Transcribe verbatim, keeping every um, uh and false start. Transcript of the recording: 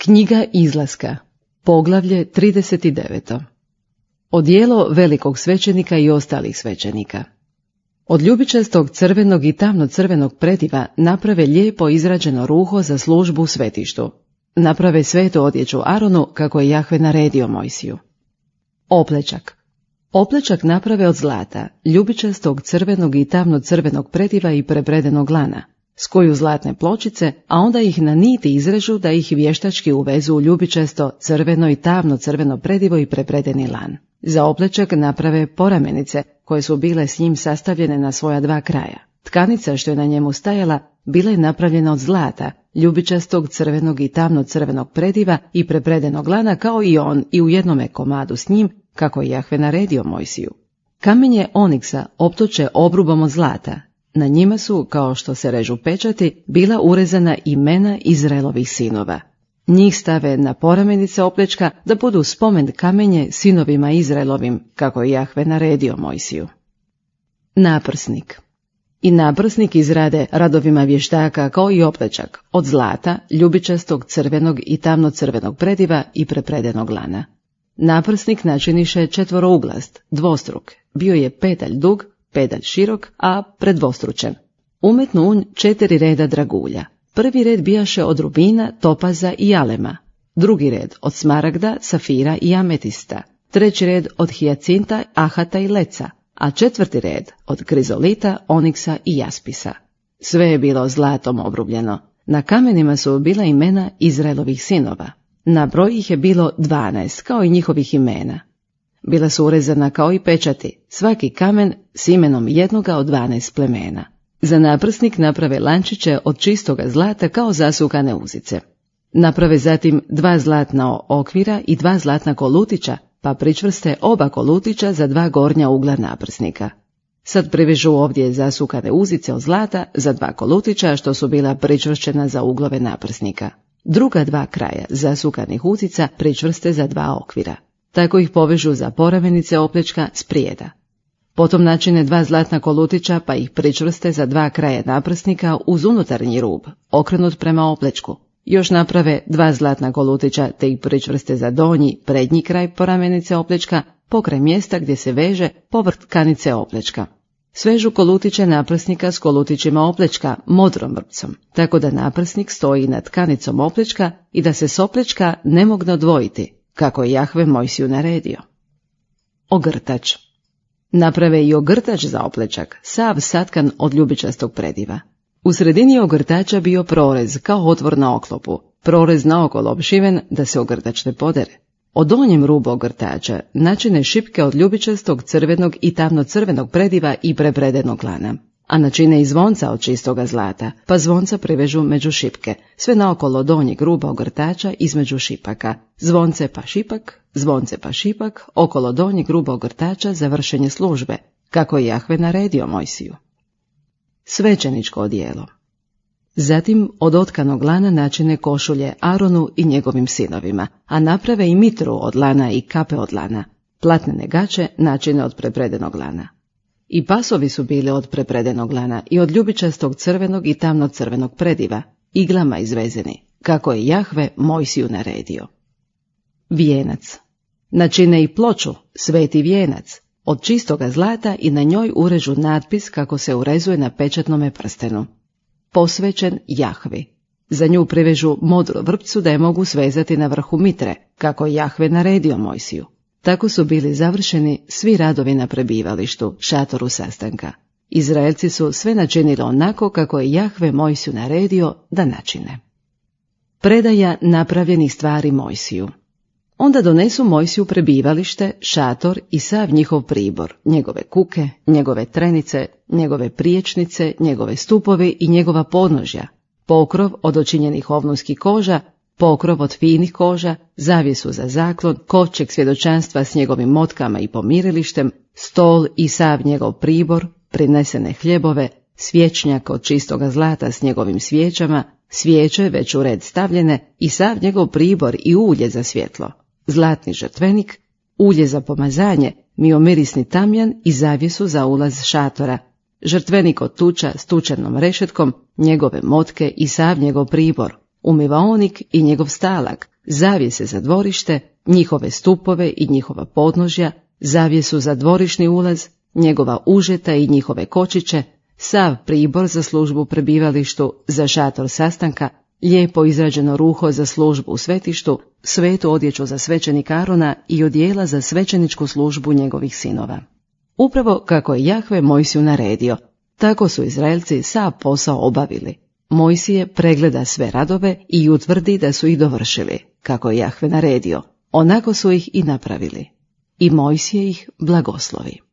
Knjiga izlaska, poglavlje trideset devet. Odijelo velikog svećenika i ostalih svećenika. Od ljubičastog crvenog i tamno-crvenog prediva naprave lijepo izrađeno ruho za službu u svetištu. Naprave svetu odjeću Aronu kako je Jahve naredio Mojsiju. Oplečak. Oplečak naprave od zlata, ljubičastog crvenog i tamno-crvenog prediva i prepredenog lana. Skuju zlatne pločice, a onda ih na niti izrežu da ih vještački uvezu u ljubičasto, crveno i tamno crveno predivo i prepredeni lan. Za oplečak naprave poramenice, koje su bile s njim sastavljene na svoja dva kraja. Tkanica što je na njemu stajala bila je napravljena od zlata, ljubičastog, crvenog i tamno crvenog prediva i prepredenog lana kao i on i u jednome komadu s njim, kako je Jahve naredio Mojsiju. Kamenje oniksa optoče obrubom od zlata. Na njima su, kao što se režu pečati, bila urezana imena Izraelovih sinova. Njih stave na poramenice oplečka da budu spomen kamenje sinovima Izraelovim, kako je Jahve naredio Mojsiju. Naprsnik. I naprsnik izrade radovima vještaka kao i oplečak, od zlata, ljubičastog, crvenog i tamno-crvenog prediva i prepredenog lana. Naprsnik načiniše četvorouglast, dvostruk, bio je pedalj dug, pedalj širok, a predvostručen. Umetnu unj četiri reda dragulja. Prvi red bijaše od rubina, topaza i alema, drugi red od smaragda, safira i ametista, treći red od hijacinta, ahata i leca, a četvrti red od krizolita, oniksa i jaspisa. Sve je bilo zlatom obrubljeno. Na kamenima su bila imena Izraelovih sinova. Na broj ih je bilo dvanaest, kao i njihovih imena. Bila su urezana kao i pečati, svaki kamen s imenom jednoga od dvanaest plemena. Za naprsnik naprave lančiće od čistoga zlata kao zasukane uzice. Naprave zatim dva zlatna okvira i dva zlatna kolutića, pa pričvrste oba kolutića za dva gornja ugla naprsnika. Sad privežu ovdje zasukane uzice od zlata za dva kolutića što su bila pričvršćena za uglove naprsnika. Druga dva kraja zasukanih uzica pričvrste za dva okvira. Tako ih povežu za poramenice oplečka sprijeda. Potom načine dva zlatna kolutića pa ih pričvrste za dva kraja naprsnika uz unutarnji rub, okrenut prema oplečku. Još naprave dva zlatna kolutića te ih pričvrste za donji, prednji kraj poramenice oplečka, pokraj mjesta gdje se veže povrh tkanice oplečka. Svežu kolutiće naprsnika s kolutićima oplečka modrom vrpcom, tako da naprsnik stoji nad tkanicom oplečka i da se s oplečka ne mogne odvojiti, kako je Jahve Mojsiju naredio. Ogrtač. Naprave i ogrtač za oplečak, sav satkan od ljubičastog prediva. U sredini ogrtača bio prorez kao otvor na oklopu, prorez naokolo opšiven da se ogrtač ne podere. Od donjem rubu ogrtača načine šipke od ljubičastog, crvenog i tamno-crvenog prediva i prepredenog lana, a načine i zvonca od čistoga zlata, pa zvonca privežu među šipke, sve naokolo donjeg ruba ogrtača između šipaka, zvonce pa šipak, zvonce pa šipak, okolo donjeg ruba ogrtača za vršenje službe, kako je Jahve naredio Mojsiju. Svećeničko odijelo. Zatim od otkanog lana načine košulje Aronu i njegovim sinovima, a naprave i mitru od lana i kape od lana, platnene gaće načine od prepredenog lana. I pasovi su bili od prepredenog lana i od ljubičastog crvenog i tamno-crvenog prediva, iglama izvezeni, kako je Jahve Mojsiju naredio. Vijenac. Načine i ploču, sveti vijenac, od čistoga zlata i na njoj urežu natpis kako se urezuje na pečatnome prstenu. Posvećen Jahvi. Za nju privežu modru vrpcu da je mogu svezati na vrhu mitre, kako je Jahve naredio Mojsiju. Tako su bili završeni svi radovi na prebivalištu, šatoru sastanka. Izraelci su sve načinili onako kako je Jahve Mojsiju naredio da načine. Predaja napravljenih stvari Mojsiju. Onda donesu Mojsiju prebivalište, šator i sav njihov pribor, njegove kuke, njegove trenice, njegove priječnice, njegove stupovi i njegova podnožja, pokrov od očinjenih ovnunskih koža, pokrov od finih koža, zavjesu za zaklon, kovčeg svjedočanstva s njegovim motkama i pomirilištem, stol i sav njegov pribor, prinesene hljebove, svječnjak od čistoga zlata s njegovim svijećama, svijeće već u red stavljene i sav njegov pribor i ulje za svjetlo, zlatni žrtvenik, ulje za pomazanje, miomirisni tamjan i zavjesu za ulaz šatora, žrtvenik od tuča s tučanom rešetkom, njegove motke i sav njegov pribor, umivaonik i njegov stalak, zavjese za dvorište, njihove stupove i njihova podnožja, zavjesu za dvorišni ulaz, njegova užeta i njihove kočiće, sav pribor za službu u prebivalištu, za šator sastanka, lijepo izrađeno ruho za službu u svetištu, svetu odjeću za svećenika Arona i odijela za svećeničku službu njegovih sinova. Upravo kako je Jahve Mojsiju naredio, tako su Izraelci sav posao obavili. Mojsije pregleda sve radove i utvrdi da su ih dovršili, kako je Jahve naredio, onako su ih i napravili. I Mojsije ih blagoslovi.